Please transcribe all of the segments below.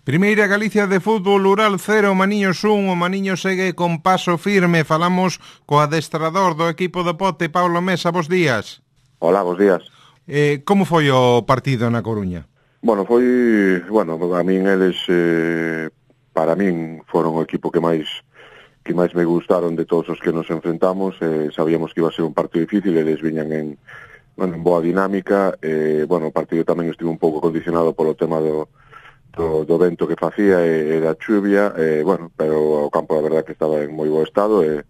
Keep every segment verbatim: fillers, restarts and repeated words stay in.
Primeira Galicia de fútbol, Ural cero, Maniños un, o Maniño segue con paso firme. Falamos co adestrador do equipo do Pote, Pablo Mesa, bos días. Hola, bos días. Eh, como foi o partido na Coruña? Bueno, foi, bueno, a min eles, eh, para min, foron o equipo que máis que máis me gustaron de todos os que nos enfrentamos. Eh, sabíamos que iba a ser un partido difícil, eles viñan en, bueno, en boa dinámica. Eh, bueno, o partido tamén estivo un pouco condicionado polo tema do Do, do vento que facía e, e da chuvia, e, bueno, pero o campo a verdad que estaba en moi bo estado e,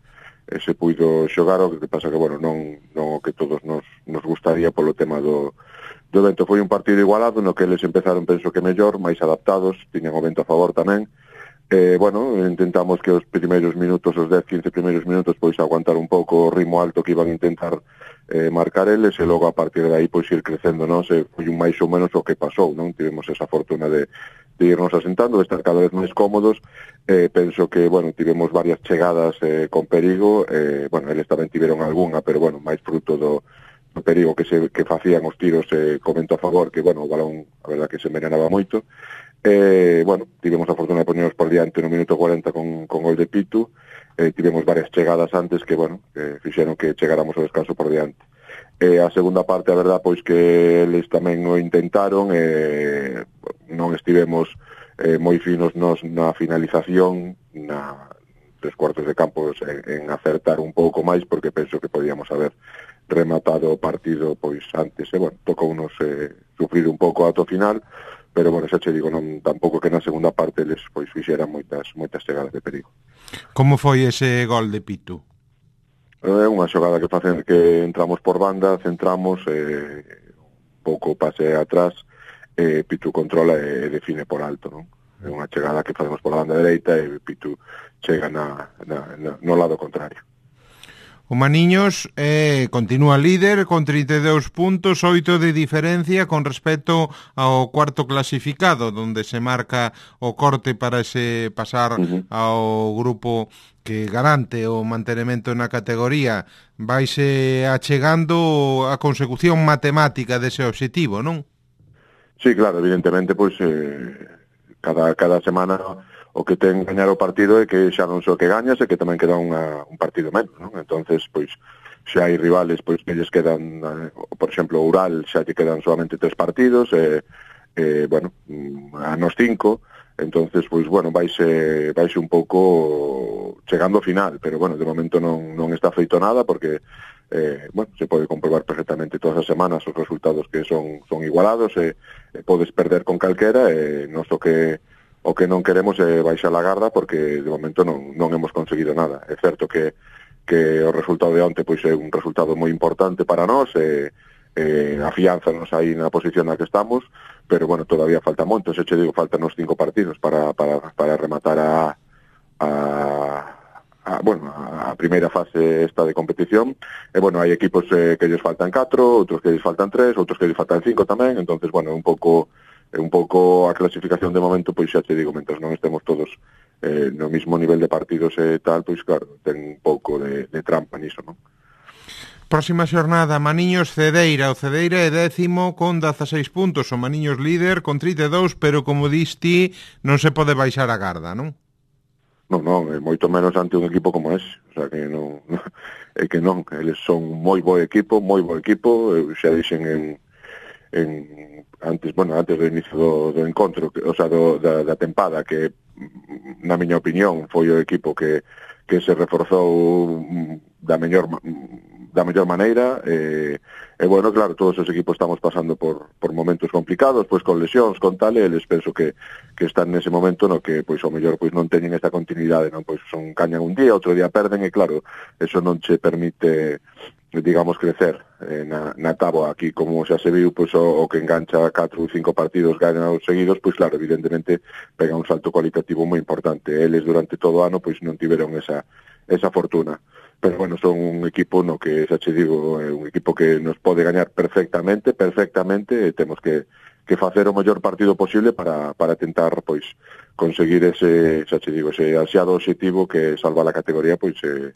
e se puido xogar, o que pasa que, bueno, non, non o que todos nos, nos gustaría polo tema do, do vento. Foi un partido igualado no que eles empezaron, penso que mellor, máis adaptados, tiñan o vento a favor tamén. Eh, bueno, intentamos que os primeiros minutos, os dez, quince primeiros minutos, pois aguantar un pouco o ritmo alto que iban a intentar eh, marcar eles, e logo a partir de aí pois ir crecendo, non? Se foi un máis ou menos o que pasou, non? Tivemos esa fortuna de, de irnos asentando, de estar cada vez máis cómodos. Eh, penso que, bueno, tivemos varias chegadas eh, con perigo, eh, bueno, eles tamén tiveron algunha, pero, bueno, máis fruto do, do perigo que se que facían os tiros, eh, comento a favor, que, bueno, o balón, a verdad que se envenenaba moito. Eh, bueno, tivemos a fortuna de ponernos por diante no minuto cuarenta con, con gol de Pitu. Eh, tivemos varias chegadas antes que, bueno, que fixeron que chegáramos ao descanso por diante. Eh, a segunda parte, a verdad, pois que eles tamén o intentaron, eh, non estivemos eh, moi finos nos na finalización, na tres cuartos de campo en, en acertar un pouco máis, porque penso que podíamos haber rematado o partido pois antes, e, bueno, tocou unos eh, sufrir un pouco ato final, pero, bueno, xa che digo, non tampouco que na segunda parte eles pois fixeran moitas moitas chegadas de perigo. Como foi ese gol de Pitu? É unha xogada que facen que entramos por banda, centramos, eh, un pouco pase atrás, eh, Pitu controla e define por alto, non? É unha chegada que facemos por la banda dereita e Pitu chega na, na, na, no lado contrario. O Maniños eh, continúa líder con trinta e dous puntos, oito de diferencia con respecto ao cuarto clasificado, donde se marca o corte para ese pasar uh-huh. ao grupo que garante o mantenimento na categoría. Vaise achegando a consecución matemática dese obxectivo, non? Sí, claro, evidentemente, pois eh, cada, cada semana o que ten gañar o partido é que xa non só que gañas, é que tamén queda unha, un partido menos, non? Entonces, pois, xa hai rivales, pois, que lles quedan, eh, por exemplo, o Ural xa lle quedan solamente tres partidos, e, eh, bueno, a nos cinco, entonces, pois, bueno, vaise, vaise un pouco chegando ao final, pero, bueno, de momento non, non está feito nada, porque, eh, bueno, se pode comprobar perfectamente todas as semanas os resultados que son, son igualados, e, e podes perder con calquera, e non só que o que non queremos é baixar a garda, porque de momento non, non hemos conseguido nada. É certo que, que o resultado de onte pois é un resultado moi importante para nós, e, e afianzanos aí na posición na que estamos, pero, bueno, todavía falta moito. Se che digo, faltan os cinco partidos para, para, para rematar a, a, a, bueno, a primeira fase esta de competición. E, bueno, hai equipos eh, que lles faltan catro, outros que lles faltan tres, outros que lles faltan cinco tamén, entonces, bueno, un pouco un pouco a clasificación de momento, pois xa te digo, mentras non estemos todos eh, no mismo nivel de partidos e tal, pois claro, ten un pouco de, de trampa niso, non? Próxima xornada, Maniños Cedeira. O Cedeira é décimo con dezaseis puntos, o Maniños líder con trinta e dous, pero como diste, non se pode baixar a garda, non? Non, non, é moito menos ante un equipo como ese, o sea, que non, é que non, eles son moi bo equipo, moi bo equipo, eu xa dixen en en antes, bueno, antes do inicio do, do encontro, que, o sea, do, da, da tempada, que na miña opinión foi o equipo que, que se reforzou da mellor da mellor maneira, e, e bueno, claro, todos os equipos estamos pasando por, por momentos complicados, pois con lesións, con tal, e eles penso que, que están nese momento no que, pois, ao mellor, pois, non teñen esta continuidade, non? Pois son cañan un día, outro día perden, e claro, eso non che permite, digamos, crecer eh, na, na táboa. Aquí, como xa se viu, pois, o, o que engancha catro ou cinco partidos gañados seguidos, pois claro, evidentemente pega un salto cualitativo moi importante. Eles durante todo o ano pois non tiveron esa, esa fortuna. Pero, bueno, son un equipo no que, xa che digo, é un equipo que nos pode gañar perfectamente, perfectamente, e temos que, que facer o mellor partido posible para, para tentar, pois, conseguir ese, xa che digo, ese ansiado objetivo que salva a categoría, pois, eh,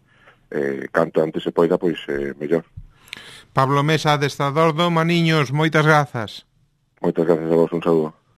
eh, canto antes se poida, pois, eh, mellor. Pablo Mesa, adestrador do Maniños, moitas grazas. Moitas grazas a vos, un saúdo.